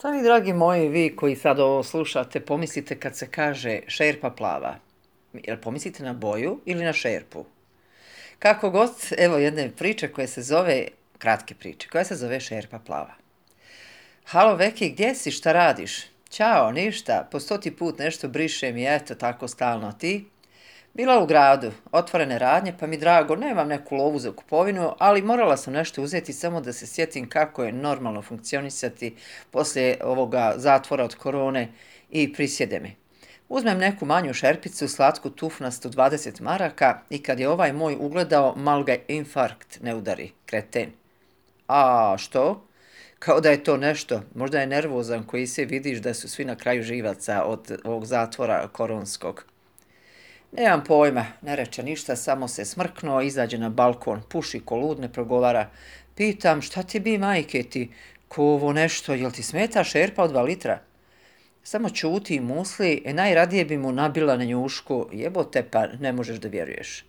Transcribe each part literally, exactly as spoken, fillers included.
Šta vi, dragi moji, vi koji sad ovo slušate, pomislite kad se kaže šerpa plava? Jel pomislite na boju ili na šerpu? Kako god, evo jedne priče koje se zove, kratke priče, koja se zove šerpa plava. Halo Veki, gdje si, šta radiš? Ćao, ništa, po stoti put nešto brišem i eto tako stalno ti. Bila u gradu, otvorene radnje, pa mi drago, nemam neku lovu za kupovinu, ali morala sam nešto uzeti samo da se sjetim kako je normalno funkcionisati poslije ovoga zatvora od korone i prisjede mi. Uzmem neku manju šerpicu, slatku tufnastu dvadeset maraka i kad je ovaj moj ugledao, mal ga infarkt ne udari, kreten. A što? Kao da je to nešto, možda je nervozan koji se vidiš da su svi na kraju živaca od ovog zatvora koronskog. Nemam pojma, ne reče ništa, samo se smrknuo, izađe na balkon, puši ko lud, ne progovara. Pitam, šta ti bi, majke ti, ko ovo nešto, jel ti smeta šerpa od dva litra? Samo čuti i musli, e najradije bi mu nabila na njušku, jebote pa ne možeš da vjeruješ.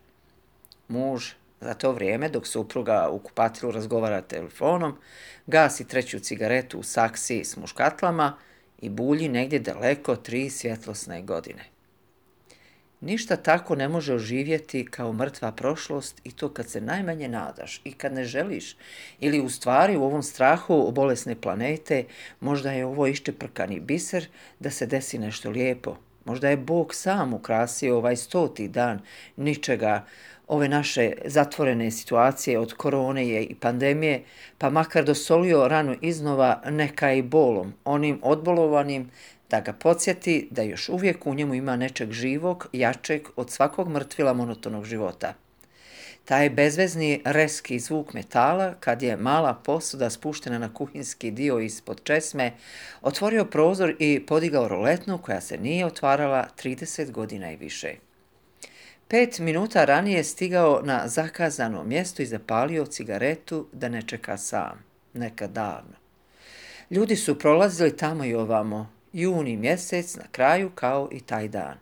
Muž, za to vrijeme, dok supruga u kupatilu razgovara telefonom, gasi treću cigaretu u saksiji s muškatlama i bulji negdje daleko tri svjetlosne godine. Ništa tako ne može oživjeti kao mrtva prošlost i to kad se najmanje nadaš i kad ne želiš. Ili u stvari u ovom strahu bolesne planete možda je ovo iščeprkani biser da se desi nešto lijepo. Možda je Bog sam ukrasio ovaj stoti dan ničega, ove naše zatvorene situacije od korone i pandemije, pa makar dosolio ranu iznova neka i bolom, onim odbolovanim, da ga podsjeti da još uvijek u njemu ima nečeg živog, jačeg od svakog mrtvila monotonog života. Taj bezvezni reski zvuk metala, kad je mala posuda spuštena na kuhinski dio ispod česme, otvorio prozor i podigao roletnu koja se nije otvarala trideset godina i više. Pet minuta ranije stigao na zakazano mjesto i zapalio cigaretu da ne čeka sam, nekad davno. Ljudi su prolazili tamo i ovamo, juni mjesec na kraju kao i taj dan.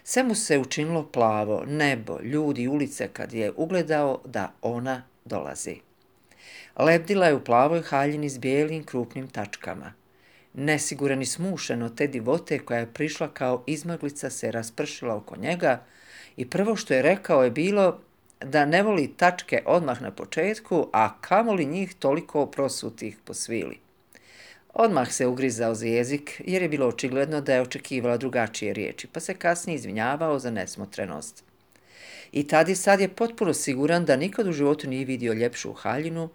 Sve mu se učinilo plavo, nebo, ljudi, ulice kad je ugledao da ona dolazi. Lebdila je u plavoj haljini s bijelim krupnim tačkama. Nesiguran i smušen od te divote koja je prišla kao izmaglica se raspršila oko njega i prvo što je rekao je bilo da ne voli tačke odmah na početku, a kamoli njih toliko prosutih po svili. Odmah se ugrizao za jezik jer je bilo očigledno da je očekivala drugačije riječi, pa se kasnije izvinjavao za nesmotrenost. I tad i sad je potpuno siguran da nikad u životu nije vidio ljepšu haljinu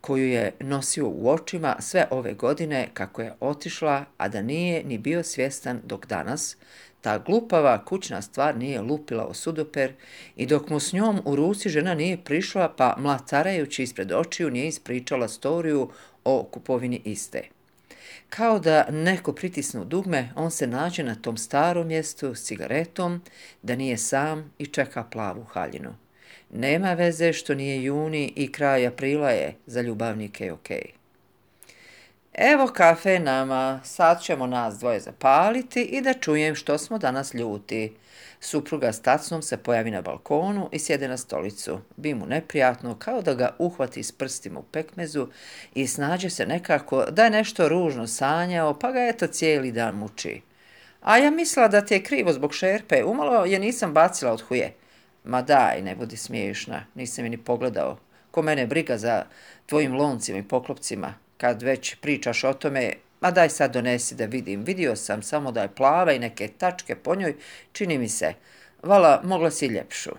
koju je nosio u očima sve ove godine kako je otišla, a da nije ni bio svjestan dok danas ta glupava kućna stvar nije lupila o sudoper i dok mu s njom u ruci žena nije prišla pa mlatarajući ispred očiju nije ispričala storiju o kupovini iste. Kao da neko pritisnu dugme, on se nađe na tom starom mjestu s cigaretom, da nije sam i čeka plavu haljinu. Nema veze što nije juni i kraj aprila je, za ljubavnike okej. Evo kafe nama, sad ćemo nas dvoje zapaliti i da čujem što smo danas ljuti. Supruga s tacnom se pojavi na balkonu i sjede na stolicu. Bi mu neprijatno, kao da ga uhvati s prstima u pekmezu i snađe se nekako da je nešto ružno sanjao, pa ga eto cijeli dan muči. A ja mislila da ti je krivo zbog šerpe, umalo je nisam bacila od huje. Ma daj, ne budi smiješna, nisam je ni pogledao. Ko mene briga za tvojim loncima i poklopcima, kad već pričaš o tome. Ma daj sad donesi da vidim, vidio sam samo da je plava i neke tačke po njoj, čini mi se, vala mogla si ljepšu.